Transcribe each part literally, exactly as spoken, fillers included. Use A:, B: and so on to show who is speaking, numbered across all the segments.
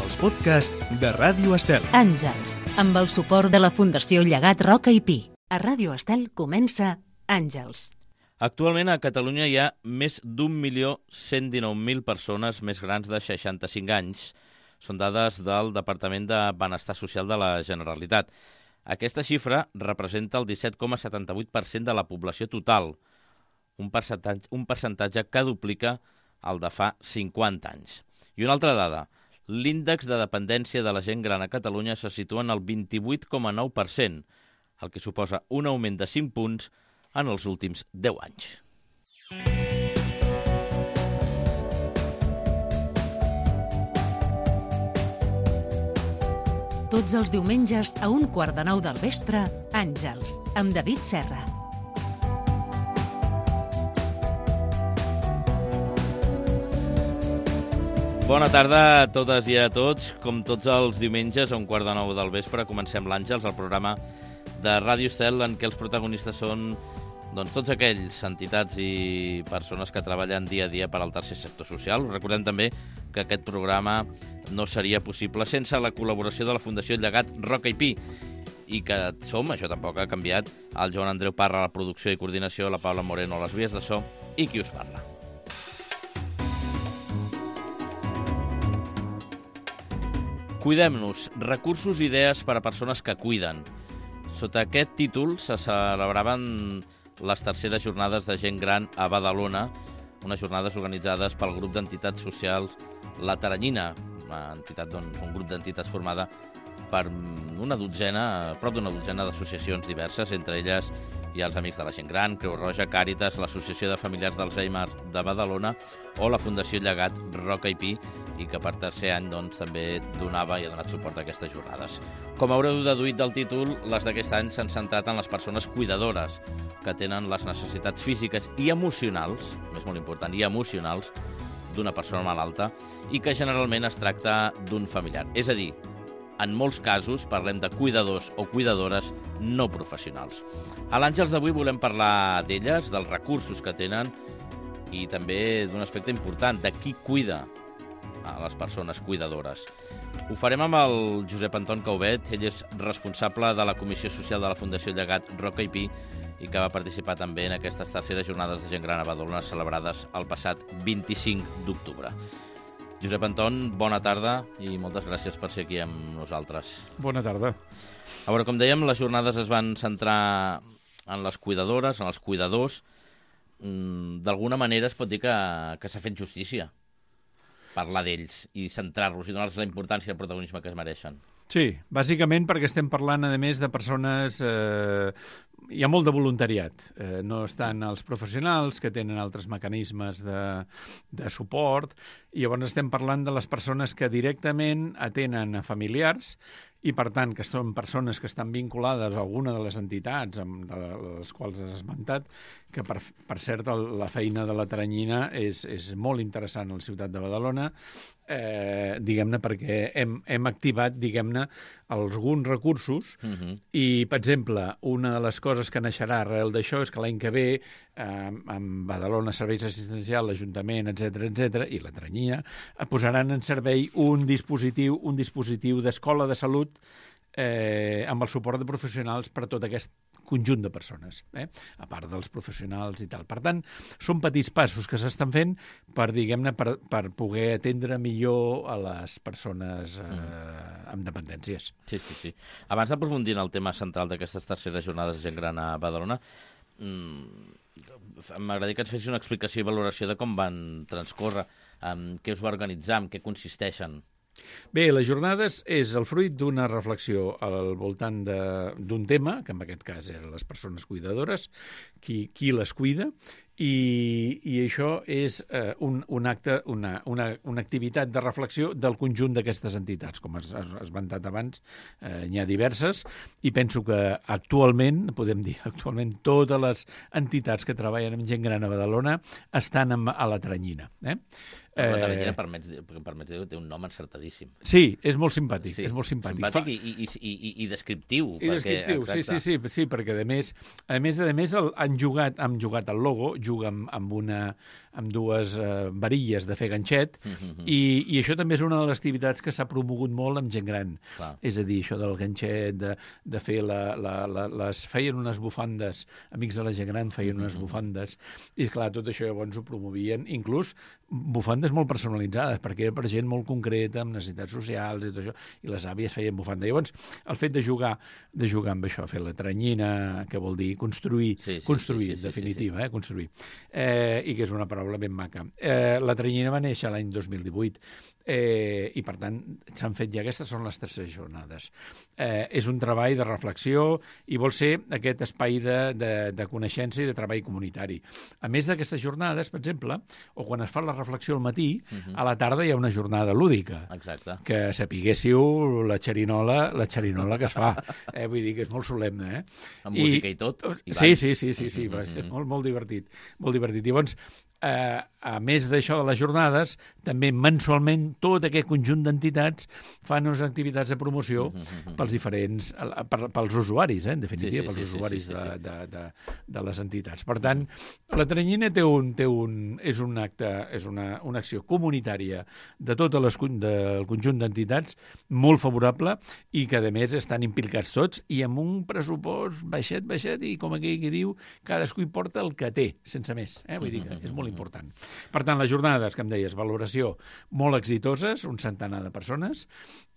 A: els podcasts de Ràdio Estel.
B: Àngels, amb el suport de la Fundació Llegat Roca i Pi. A Ràdio Estel comença Àngels.
C: Actualment a Catalunya hi ha més d'un milió cent dinou mil persones més grans de seixanta-cinc anys. Són dades del Departament de Benestar Social de la Generalitat. Aquesta xifra representa el disset coma setanta-vuit per cent de la població total, un percentatge, un percentatge que duplica el de fa cinquanta anys. I una altra dada, l'índex de dependència de la gent gran a Catalunya se situa en el vint-i-vuit coma nou per cent, el que suposa un augment de cinc punts en els últims deu anys.
B: Tots els diumenges a un quart de nou del vespre, Àngels, amb David Serra.
C: Bona tarda a totes i a tots. Com tots els diumenges a un quart de nou del vespre comencem l'Àngels, el programa de Ràdio Estel en què els protagonistes són doncs, tots aquells entitats i persones que treballen dia a dia per al tercer sector social. Us recordem també que aquest programa no seria possible sense la col·laboració de la Fundació Llegat Roca i Pi i que som, això tampoc ha canviat, el Joan Andreu Parra a la producció i coordinació, la Paula Moreno a les vies de so i qui us parla. Cuidem-nos, recursos i idees per a persones que cuiden. Sota aquest títol se celebraven les terceres jornades de gent gran a Badalona, unes jornades organitzades pel grup d'entitats socials La Taranyina, una entitat, doncs, un grup d'entitats formada per una dotzena, prop d'una dotzena d'associacions diverses, entre elles hi ha els Amics de la Gent Gran, Creu Roja, Càritas, l'Associació de Familiars d'Alzheimer de Badalona o la Fundació Llegat Roca i Pi, i que per tercer any doncs, també donava i ha donat suport a aquestes jornades. Com haureu deduït del títol, les d'aquest any s'han centrat en les persones cuidadores, que tenen les necessitats físiques i emocionals, més molt important, i emocionals, d'una persona malalta, i que generalment es tracta d'un familiar. És a dir, en molts casos parlem de cuidadors o cuidadores no professionals. A l'Àngels d'avui volem parlar d'elles, dels recursos que tenen i també d'un aspecte important, de qui cuida a les persones cuidadores. Ho farem amb el Josep Anton Caubet, ell és responsable de la Comissió Social de la Fundació Llegat Roca i Pi i que va participar també en aquestes terceres jornades de gent gran a Badalona celebrades el passat vint-i-cinc d'octubre. Josep Anton, bona tarda i moltes gràcies per ser aquí amb nosaltres.
D: Bona tarda.
C: A veure, com dèiem, les jornades es van centrar en les cuidadores, en els cuidadors. D'alguna manera es pot dir que, que s'ha fet justícia parlar d'ells i centrar-los i donar-los la importància i el protagonisme que es mereixen.
D: Sí, bàsicament perquè estem parlant, a més, de persones... Eh, hi ha molt de voluntariat. Eh, no estan els professionals, que tenen altres mecanismes de, de suport, i llavors estem parlant de les persones que directament atenen a familiars i, per tant, que són persones que estan vinculades a alguna de les entitats amb de les quals has esmentat, que, per, per cert, el, la feina de la Taranyina és, és molt interessant a la ciutat de Badalona, eh, diguem-ne, perquè hem, hem activat, diguem-ne, alguns recursos uh-huh. i, per exemple, una de les coses que naixerà arrel d'això és que l'any que ve, eh, amb Badalona Serveis Assistencials, l'Ajuntament, etcètera, etcètera, i la Taranyina, posaran en servei un dispositiu, un dispositiu d'escola de salut eh, amb el suport de professionals per a tot aquest conjunt de persones, eh? a part dels professionals i tal. Per tant, són petits passos que s'estan fent per, diguem-ne, per, per poder atendre millor a les persones eh, mm. amb dependències.
C: Sí, sí, sí. Abans d'aprofundir en el tema central d'aquestes terceres jornades de gent gran a Badalona, mmm, m'agradaria que ens fessis una explicació i valoració de com van transcórrer, amb què us va organitzar, en què consisteixen.
D: Bé, les jornades és el fruit d'una reflexió al voltant d'un tema, que en aquest cas eren les persones cuidadores, qui, qui les cuida, i, i això és eh, un, un acte, una, una, una activitat de reflexió del conjunt d'aquestes entitats. Com has esmentat abans, eh, n'hi ha diverses, i penso que actualment, podem dir actualment, totes les entitats que treballen amb gent gran a Badalona estan amb, a la Taranyina. Eh?
C: La Taranyina, permets, permets dir, té un nom encertadíssim.
D: Sí, és molt simpàtic. Sí, és molt simpàtic,
C: simpàtic Fa... i, i, i, i descriptiu.
D: I perquè, descriptiu, sí, sí, sí, sí, perquè a més, a més, a més el, han jugat, han jugat el logo, juga amb, amb, una, amb dues eh, varilles de fer ganxet, mm -hmm. i, i això també és una de les activitats que s'ha promogut molt amb gent gran. Clar. És a dir, això del ganxet, de, de fer la, la, la, les... feien unes bufandes, amics de la gent gran feien unes mm -hmm. bufandes, i clar, tot això llavors ho promovien, inclús bufandes molt personalitzades, perquè era per gent molt concreta, amb necessitats socials i tot això, i les àvies feien bufanda. Llavors, el fet de jugar, de jugar amb això, fer la tranyina, que vol dir construir, sí, sí, construir, sí, sí, en definitiva, sí, sí. Eh, construir, eh, i que és una paraula ben maca. Eh, la tranyina va néixer l'any dos mil divuit, eh, i per tant s'han fet ja, aquestes són les terceres jornades. Eh, és un treball de reflexió i vol ser aquest espai de, de, de coneixença i de treball comunitari. A més d'aquestes jornades, per exemple, o quan es fa la reflexió al matí, uh-huh. a la tarda hi ha una jornada lúdica. Exacte. Que sapiguéssiu la xerinola, la xerinola que es fa. Eh, vull dir que és molt solemne, eh?
C: Amb I, música i tot. I
D: sí, sí, sí, sí, sí, va ser molt, molt divertit, molt divertit. I llavors, eh, a més d'això de les jornades, també mensualment tot aquest conjunt d'entitats fan unes activitats de promoció uh -huh. pels diferents, per, pels usuaris, eh, en definitiva, sí, sí, pels sí, usuaris sí, sí, sí. De, de, de, de les entitats. Per tant, la tranyina té un, té un, és un acte, és una, una acció comunitària de tot les, del conjunt d'entitats molt favorable i que, a més, estan implicats tots i amb un pressupost baixet, baixet, i com aquell que diu, cadascú hi porta el que té, sense més. Eh? Vull dir que és molt important. Per tant, les jornades, que em deies, valoració, molt exitoses, un centenar de persones.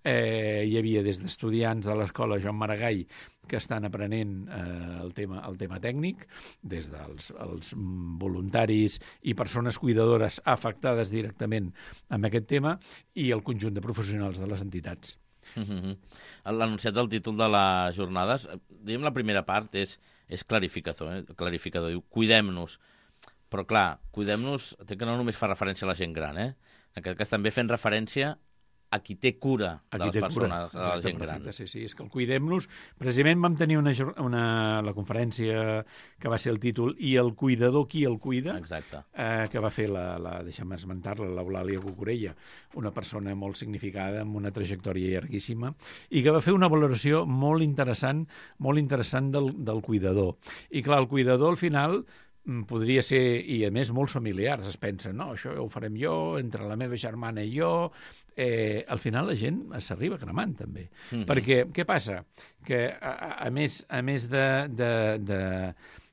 D: Eh, hi havia des d'estudiants de l'escola Joan Maragall que estan aprenent eh, el, tema, el tema tècnic, des dels els voluntaris i persones cuidadores afectades directament amb aquest tema, i el conjunt de professionals de les entitats.
C: Mm-hmm. L'anunciat del títol de les jornades, diguem la primera part, és, és clarificador, eh? clarificador, diu, cuidem-nos. Però, clar, cuidem-nos, que no només fa referència a la gent gran, eh? En aquest cas també fent referència a qui té cura de les persones, de la gent gran.
D: Sí, sí, és que el cuidem-nos... Precisament vam tenir una, una, la conferència que va ser el títol "I el cuidador, qui el cuida?", eh, que va fer, la, la deixa'm esmentar-la, l'Eulàlia Cucurella, una persona molt significada, amb una trajectòria llarguíssima, i que va fer una valoració molt interessant, molt interessant del, del cuidador. I clar, el cuidador, al final, podria ser, i a més molts familiars es pensen, no, això ho farem jo, entre la meva germana i jo. Eh, al final la gent s'arriba cremant també, mm-hmm. perquè què passa? Que a, a més, a més de, de, de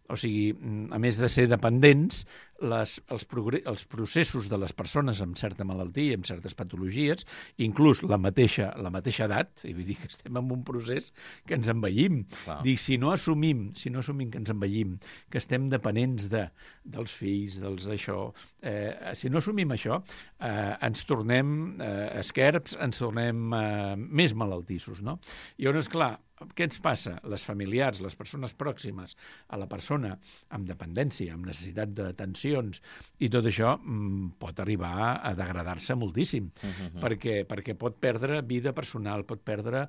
D: o sigui, a més de ser dependents, les, els, els processos de les persones amb certa malaltia, amb certes patologies, inclús la mateixa, la mateixa edat, i vull dir que estem en un procés que ens envellim. Wow. Dic, si no assumim, si no assumim que ens envellim, que estem dependents de, dels fills, dels això, eh, si no assumim això, eh, ens tornem eh, esquerps, ens tornem eh, més malaltissos, no? I llavors, clar, què ens passa? Les familiars, les persones pròximes a la persona amb dependència, amb necessitat d'atencions i tot això mm, pot arribar a degradar-se moltíssim, uh-huh. perquè, perquè pot perdre vida personal, pot perdre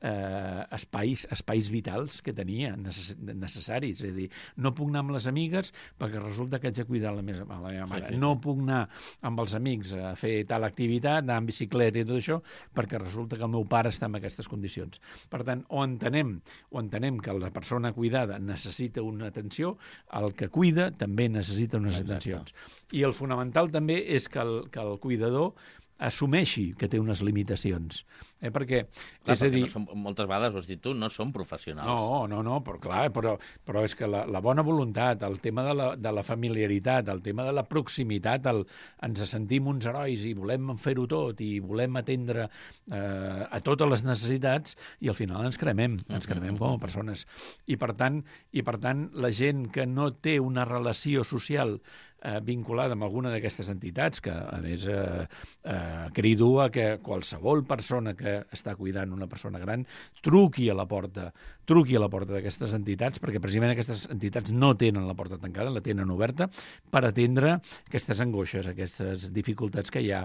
D: eh, espais, espais vitals que tenia necess necessaris. És a dir, no puc anar amb les amigues perquè resulta que haig de cuidar la meva, la meva mare. Sí, sí. No puc anar amb els amics a fer tal activitat, anar en bicicleta i tot això, perquè resulta que el meu pare està en aquestes condicions. Per tant, o entenem, o entenem que la persona cuidada necessita una atenció, el que cuida també necessita unes Exacte. atencions. I el fonamental també és que el, que el cuidador assumeixi que té unes limitacions. Eh, perquè,
C: clar,
D: és a dir...
C: no som, moltes vegades, ho has dit tu, no som professionals.
D: No, no, no, però clar, però, però és que la, la bona voluntat, el tema de la, de la familiaritat, el tema de la proximitat, el, ens sentim uns herois i volem fer-ho tot i volem atendre eh, a totes les necessitats i al final ens cremem, ens cremem com a persones. I per tant, i per tant la gent que no té una relació social eh, vinculada amb alguna d'aquestes entitats, que a més eh, eh, crido a que qualsevol persona que està cuidant una persona gran truqui a la porta, truqui a la porta d'aquestes entitats, perquè precisament aquestes entitats no tenen la porta tancada, la tenen oberta per atendre aquestes angoixes, aquestes dificultats que hi ha.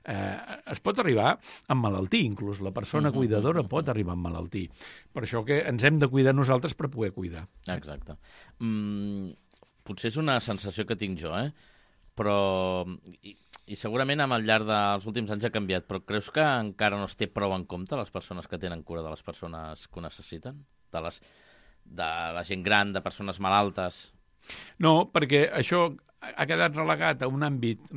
D: Eh, es pot arribar amb malaltir, inclús la persona cuidadora pot arribar amb malaltir. Per això que ens hem de cuidar nosaltres per poder cuidar.
C: Exacte. Mm, potser és una sensació que tinc jo, eh? Però... I, i segurament amb el llarg dels últims anys ha canviat, però creus que encara no es té prou en compte les persones que tenen cura de les persones que ho necessiten? De, les, de la gent gran, de persones malaltes?
D: No, perquè això ha quedat relegat a un àmbit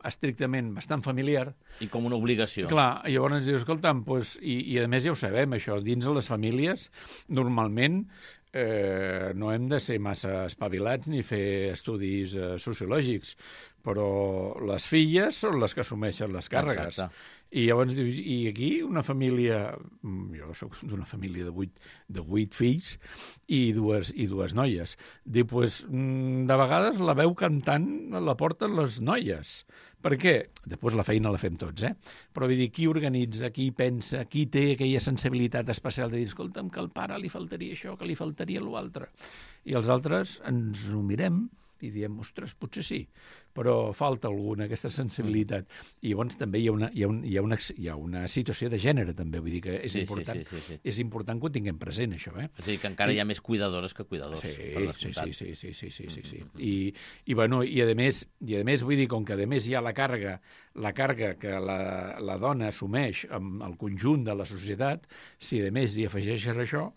D: estrictament bastant familiar.
C: I com una obligació.
D: Clar, i llavors dius, escolta'm, doncs, i, i a més ja ho sabem, això, dins de les famílies, normalment eh, no hem de ser massa espavilats ni fer estudis eh, sociològics, però les filles són les que assumeixen les càrregues.
C: Exacte.
D: I llavors dius, i aquí una família, jo soc d'una família de vuit, de vuit fills i dues, i dues noies. Diu, doncs, de vegades la veu cantant la porten les noies. Per què? Després la feina la fem tots, eh? Però vull dir, qui organitza, qui pensa, qui té aquella sensibilitat especial de dir, escolta'm, que al pare li faltaria això, que li faltaria l'altre. I els altres ens ho mirem i diem, ostres, potser sí, però falta alguna, aquesta sensibilitat. I llavors també hi ha una, hi ha un, hi ha una, hi ha una situació de gènere, també, vull dir que és,
C: Sí, sí,
D: important,
C: sí, sí, sí.
D: és important que ho tinguem present, això, eh?
C: És a dir, que encara hi ha més cuidadores que cuidadors.
D: Sí,
C: per
D: sí,
C: descomptat.
D: sí, sí, sí, sí, sí, sí. I, i, bueno, i, a més, i a més, vull dir, com que a més hi ha la càrrega, la càrrega que la, la dona assumeix amb el conjunt de la societat, si a més hi afegeixes això,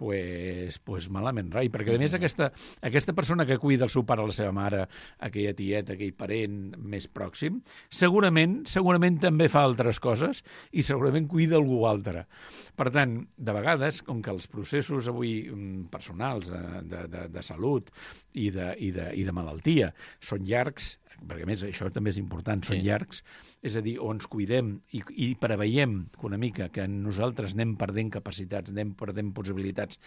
D: pues, pues malament rai, perquè a més aquesta, aquesta persona que cuida el seu pare o la seva mare, aquella tieta, aquell parent més pròxim, segurament segurament també fa altres coses i segurament cuida algú altre. Per tant, de vegades, com que els processos avui personals de, de, de, de salut i de, i, de, i de malaltia són llargs, perquè a més això també és important, són
C: Sí.
D: llargs, és a dir, o ens cuidem i, i preveiem que una mica que nosaltres anem perdent capacitats, anem perdent possibilitats,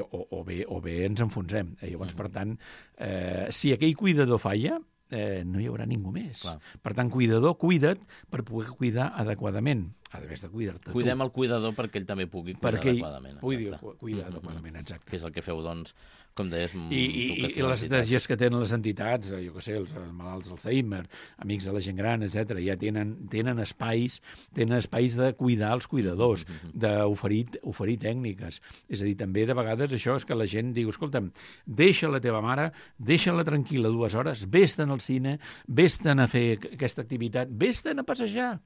D: o, o, bé, o bé ens enfonsem. Eh? Llavors, per tant, eh, si aquell cuidador falla, eh, no hi haurà ningú més.
C: Clar.
D: Per tant, cuidador, cuida't per poder cuidar adequadament. A més de cuidar-te
C: Cuidem
D: tu.
C: el cuidador perquè ell també pugui cuidar
D: Perquè ell
C: adequadament.
D: pugui
C: exacte.
D: cuidar adequadament, exacte.
C: Que és el que feu, doncs, com deies,
D: I, i, i, i les estratègies que tenen les entitats, jo què sé, els malalts d'Alzheimer, amics de la gent gran, etcètera, ja tenen, tenen espais tenen espais de cuidar els cuidadors, d'oferir oferir tècniques. És a dir, també de vegades això és que la gent diu, escolta'm, deixa la teva mare, deixa-la tranquil·la dues hores, vés-te'n al cine, vés-te'n a fer aquesta activitat, vés-te'n a passejar.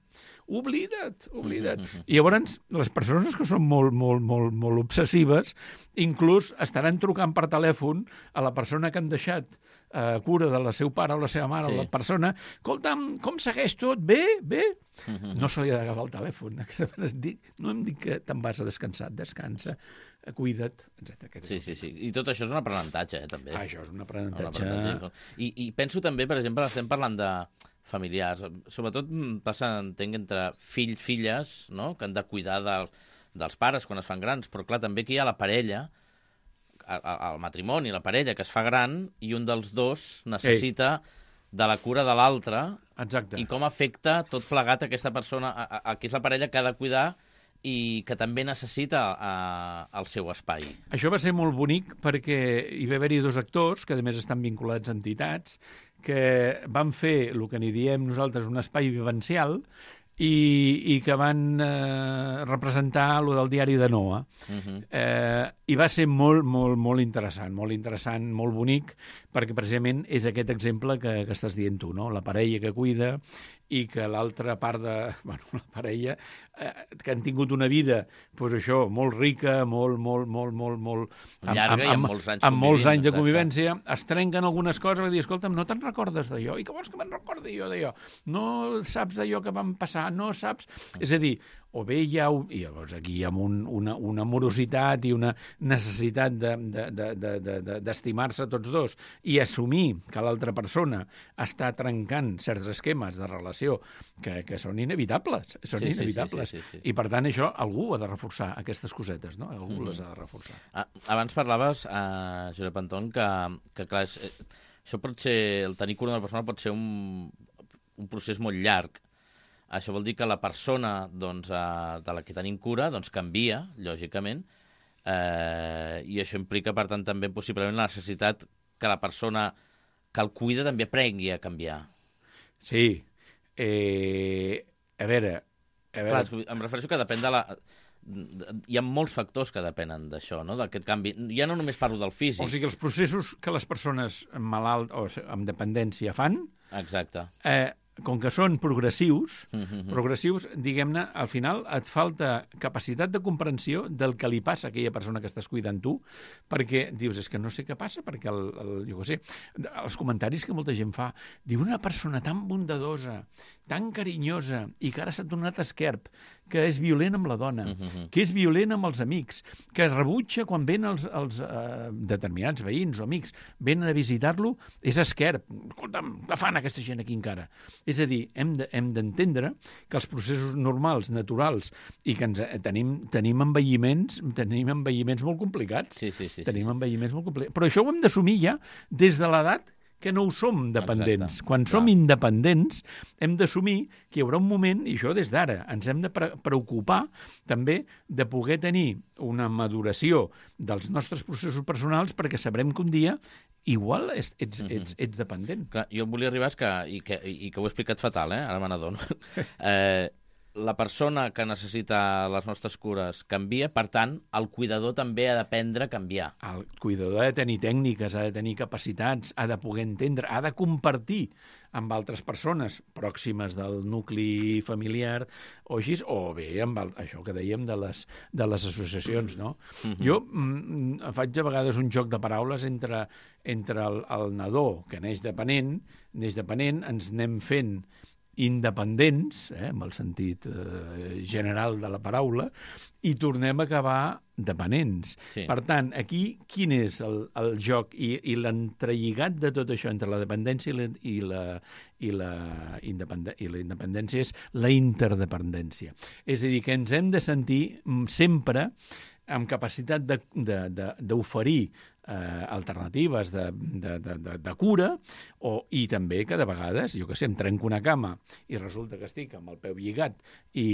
D: Oblida't, oblida't. I llavors, les persones que són molt, molt, molt, molt obsessives, inclús estaran trucant per telèfon a la persona que han deixat a cura de la seu pare o la seva mare,
C: Sí.
D: o la persona, escolta'm, com segueix tot? Bé? Bé? No se li ha d'agafar el telèfon. No em dic que te'n vas a descansar, descansa, cuida't, etcètera.
C: Sí, sí, sí. I tot això és un aprenentatge, eh, també.
D: Ah, això és un
C: Un
D: aprenentatge.
C: aprenentatge. I, I penso també, per exemple, estem parlant de familiars, sobretot mm, passa, entenc, entre fills, filles, no?, que han de cuidar del, dels pares quan es fan grans, però clar, també aquí hi ha la parella, el, el matrimoni, la parella que es fa gran i un dels dos necessita Ei. de la cura de l'altre.
D: Exacte.
C: I com afecta tot plegat aquesta persona, a, a, a, que és la parella que ha de cuidar i que també necessita a, el seu espai.
D: Això va ser molt bonic perquè hi va haver-hi dos actors, que a més estan vinculats a entitats, que van fer el que n'hi diem nosaltres un espai vivencial i, i que van eh, representar lo del diari de Noa. Uh-huh. eh, I va ser molt, molt, molt interessant, molt interessant, molt bonic, perquè precisament és aquest exemple que, que estàs dient tu, no? La parella que cuida i que l'altra part de... Bueno, la parella eh, que han tingut una vida, doncs això, molt rica, molt, molt, molt, molt, molt...
C: Llarga amb, amb, i amb molts anys
D: amb molts anys de
C: exacte.
D: convivència, es trenquen algunes coses i dir, escolta'm, no te'n recordes d'allò? I què vols que me'n recordi jo d'allò? No saps d'allò que vam passar? No saps? És a dir, o bé hi ha... Un, I llavors aquí hi ha un, una, una morositat i una necessitat d'estimar-se de, de, de, de, de, tots dos i assumir que l'altra persona està trencant certs esquemes de relació que, que són inevitables. Són
C: sí,
D: inevitables.
C: Sí, sí, sí, sí.
D: I, per tant, això algú ha de reforçar, aquestes cosetes, no? Algú mm-hmm. les ha de reforçar.
C: Ah, abans parlaves, uh, Josep Anton, que, que clar, és, eh, això pot ser, el tenir cura d'una persona pot ser un, un procés molt llarg. Això vol dir que la persona doncs, eh, de la que tenim cura doncs, canvia, lògicament, eh, i això implica, per tant, també possiblement la necessitat que la persona que el cuida també aprengui a canviar.
D: Sí. Eh, a veure... A veure...
C: Clar, em refereixo que depèn de la... Hi ha molts factors que depenen d'això, no? D'aquest canvi. Ja no només parlo del físic.
D: O sigui, els processos que les persones malalt o amb dependència fan...
C: Exacte.
D: Eh, com que són progressius,
C: Mm-hmm.
D: progressius, diguem-ne, al final et falta capacitat de comprensió del que li passa a aquella persona que estàs cuidant tu, perquè dius, és que no sé què passa, perquè, el, el, jo què sé, els comentaris que molta gent fa, diu una persona tan bondadosa, tan carinyosa, i que ara s'ha tornat esquerp, que és violent amb la dona,
C: Mm-hmm.
D: que és violent amb els amics, que rebutja quan venen els, els eh, determinats veïns o amics, venen a visitar-lo, és esquerp. Escolta'm, què fan aquesta gent aquí encara? És a dir, hem de, hem d'entendre que els processos normals, naturals, i que ens, tenim, tenim envelliments tenim envelliments molt complicats.
C: Sí, sí, sí,
D: tenim
C: sí, sí.
D: envelliments molt complicats. Però això ho hem d'assumir ja des de l'edat que no ho som dependents.
C: Exacte.
D: Quan
C: Clar.
D: som independents hem d'assumir que hi haurà un moment, i això des d'ara, ens hem de pre preocupar també de poder tenir una maduració dels nostres processos personals perquè sabrem que un dia igual ets, ets, ets, ets dependent.
C: Clar, jo em volia arribar és que, i, que, i que ho he explicat fatal, eh? Ara me n'adono. eh, la persona que necessita les nostres cures canvia, per tant, el cuidador també ha d'aprendre a canviar.
D: El cuidador ha de tenir tècniques, ha de tenir capacitats, ha de poder entendre, ha de compartir amb altres persones pròximes del nucli familiar o així, o bé amb el, això que dèiem de les, de les associacions, no? Mm-hmm. Jo mm, faig a vegades un joc de paraules entre, entre el, el nadó que neix depenent, neix depenent, ens anem fent independents, eh, amb el sentit eh, general de la paraula, i tornem a acabar dependents.
C: Sí.
D: Per tant, aquí quin és el, el joc i, i l'entrelligat de tot això entre la dependència i la, i la, i la, independència, i la independència és la interdependència. És a dir, que ens hem de sentir sempre amb capacitat d'oferir eh, alternatives de, de, de, de, de cura, o, i també que de vegades, jo que sé, em trenco una cama i resulta que estic amb el peu lligat i,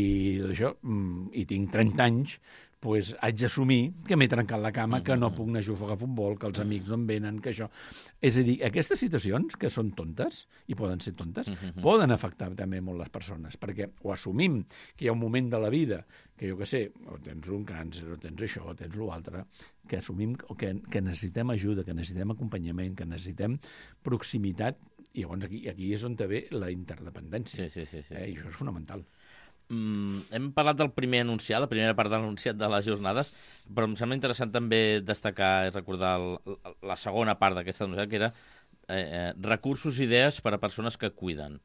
D: això, i tinc trenta anys, pues, haig d'assumir que m'he trencat la cama, que no puc anar a jugar a futbol, que els amics no em venen, que això... És a dir, aquestes situacions, que són tontes, i poden ser tontes,
C: Mm-hmm.
D: poden afectar també molt les persones, perquè o assumim que hi ha un moment de la vida que, jo que sé, o tens un càncer, o tens això, o tens l'altre, que assumim que, que necessitem ajuda, que necessitem acompanyament, que necessitem proximitat, i llavors aquí, aquí és on ve la interdependència.
C: Sí, sí, sí, sí,
D: eh?
C: sí.
D: I això és fonamental.
C: Mm, hem parlat del primer enunciat, la primera part de l'enunciat de les jornades, però em sembla interessant també destacar i recordar el, la segona part d'aquesta enunciat, que era eh, eh, recursos i idees per a persones que cuiden.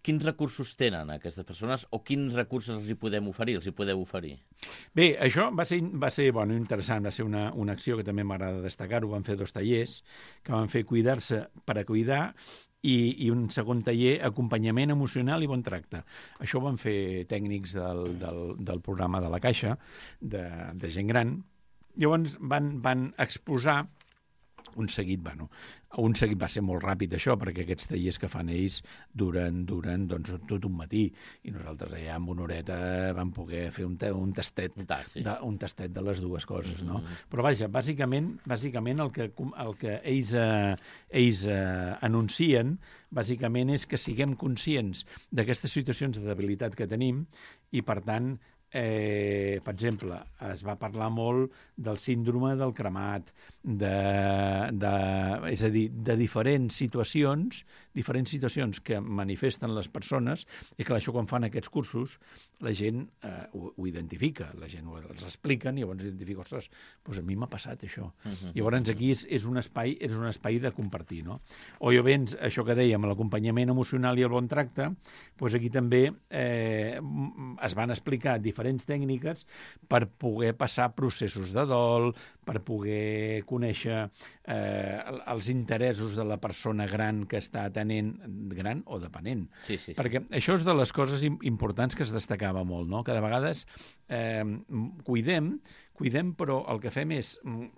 C: Quins recursos tenen aquestes persones o quins recursos els hi podem oferir, els hi podeu oferir?
D: Bé, això va ser, va ser bueno, interessant, va ser una, una acció que també m'agrada destacar-ho. Van fer dos tallers que van fer cuidar-se per a cuidar i, i un segon taller, acompanyament emocional i bon tracte. Això ho van fer tècnics del, del, del programa de la Caixa, de, de gent gran. Llavors van, van exposar un seguit, bueno, un seguit va ser molt ràpid això, perquè aquests tallers que fan ells duren, duren doncs, tot un matí, i nosaltres allà amb una horeta vam poder fer un, un, tastet,
C: Un tast, sí.
D: de, un tastet de les dues coses, no?
C: Mm-hmm.
D: Però vaja, bàsicament, bàsicament el que, el que ells, eh, ells eh, anuncien bàsicament és que siguem conscients d'aquestes situacions de debilitat que tenim i, per tant, Eh, per exemple, es va parlar molt del síndrome del cremat, de, de, és a dir, de diferents situacions, diferents situacions que manifesten les persones, i que això quan fan aquests cursos la gent eh, ho, ho identifica, la gent ho, els expliquen i llavors identifica, ostres, doncs a mi m'ha passat això. Uh-huh. Llavors aquí és, és, un espai, és un espai de compartir, no? O llavors, això que dèiem, l'acompanyament emocional i el bon tracte, doncs aquí també eh, es van explicar diferents tècniques per poder passar processos de dol, per poder conèixer eh, els interessos de la persona gran que està atenent, gran o depenent.
C: Sí, sí, sí.
D: Perquè això és de les coses importants que es destacava molt, no? Que de vegades eh, cuidem, cuidem, però el que fem és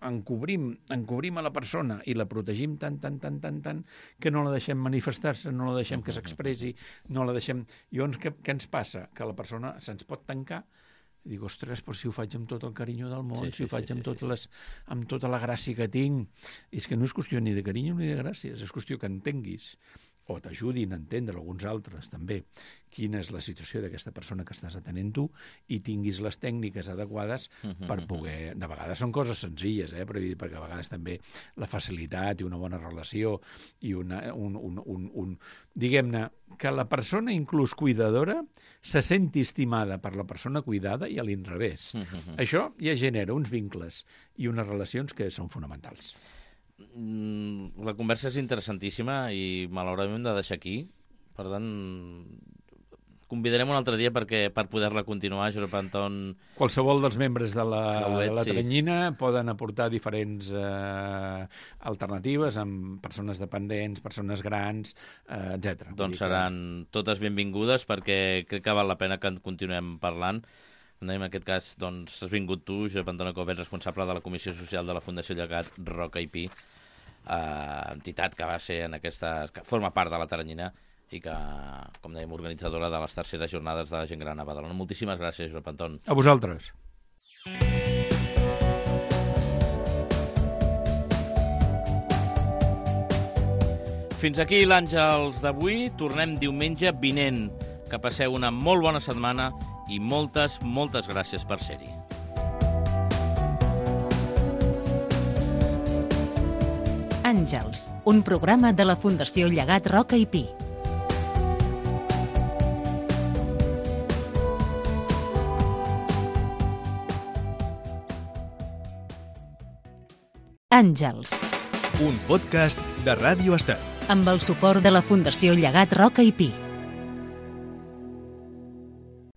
D: encobrim, encobrim a la persona i la protegim tant, tant, tant, tant, tant, que no la deixem manifestar-se, no la deixem que s'expressi, no la deixem... Llavors, què, què ens passa? Que la persona se'ns pot tancar i dic, ostres, però si ho faig amb tot el carinyo del món,
C: Sí,
D: si ho
C: sí,
D: faig
C: sí,
D: amb,
C: sí,
D: tot
C: sí.
D: les, amb tota la gràcia que tinc... És que no és qüestió ni de carinyo ni de gràcies, és qüestió que entenguis o t'ajudin a entendre alguns altres també quina és la situació d'aquesta persona que estàs atenent tu i tinguis les tècniques adequades per poder... De vegades són coses senzilles, eh? Però, perquè a vegades també la facilitat i una bona relació i una, un, un, un, un... diguem-ne, que la persona inclús cuidadora se senti estimada per la persona cuidada i a l'inrevés. Això ja genera uns vincles i unes relacions que són fonamentals.
C: La conversa és interessantíssima i malauradament hem de deixar aquí. Per tant, convidarem un altre dia perquè per poder-la continuar, Josep Anton...
D: Qualsevol dels membres de la,
C: Clauet,
D: de la
C: sí.
D: Teranyina poden aportar diferents eh, alternatives amb persones dependents, persones grans, eh, etcètera.
C: Doncs seran totes benvingudes perquè crec que val la pena que en continuem parlant. En aquest cas, doncs, has vingut tu, Josep Anton Covet, responsable de la Comissió Social de la Fundació Llegat Roca i Pi, eh, entitat que va ser en aquesta... que forma part de la Teranyina i que, com dèiem, organitzadora de les terceres jornades de la gent gran a Badalona. Moltíssimes gràcies, Josep Anton.
D: A vosaltres.
C: Fins aquí l'Àngels d'avui. Tornem diumenge vinent. Que passeu una molt bona setmana i moltes, moltes gràcies per ser-hi.
B: Àngels, un programa de la Fundació Llegat Roca i Pi. Àngels.
A: Un podcast de Ràdio Estel.
B: Amb el suport de la Fundació Llegat Roca i Pi.